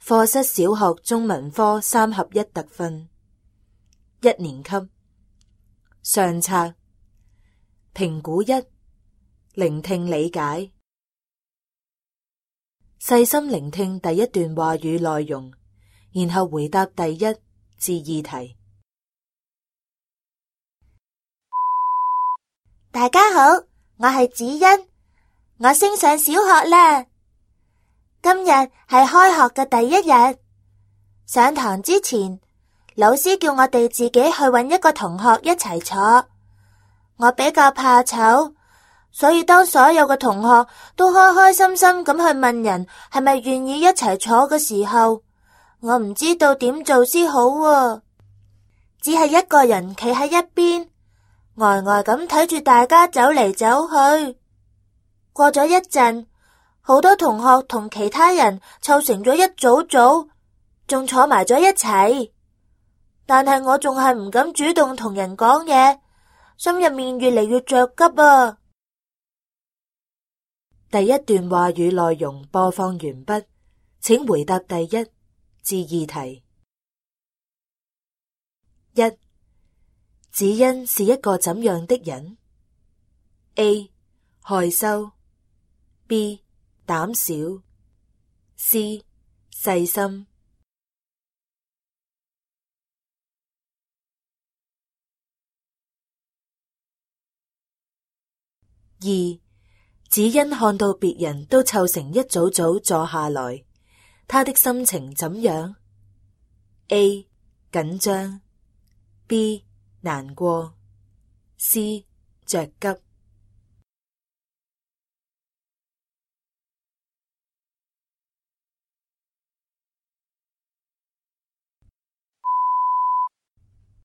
課室小學中文科3合1特訓，1年級。上冊評估1，聆聽理解。細心聆聽第一段話語內容，然後回答第1至2題。大家好，我係子欣，我升上小學啦。今日係開學嘅第一日，上堂之前，老師叫我哋自己去搵一個同學一齊坐。我比較怕醜，所以當所有嘅同學都開開心心咁去問人係咪願意一齊坐嘅時候，我唔知道點做先好啊。只係一個人企喺一邊，呆呆咁睇住大家走嚟走去。過咗一陣，好多同學同其他人湊成咗一組，仲坐埋咗一齊。但係我仲係唔敢主動同人講嘢，心入面越嚟越着急啊。第一段話語內容播放完畢，請回答第1至2題。1. 子欣是一個怎樣的人？ A. 害羞 B. 膽小 C. 細心。 2. 子欣看到別人都湊成一組坐下來，他的心情怎樣？ A. 緊張 B. 難過 C. 着急。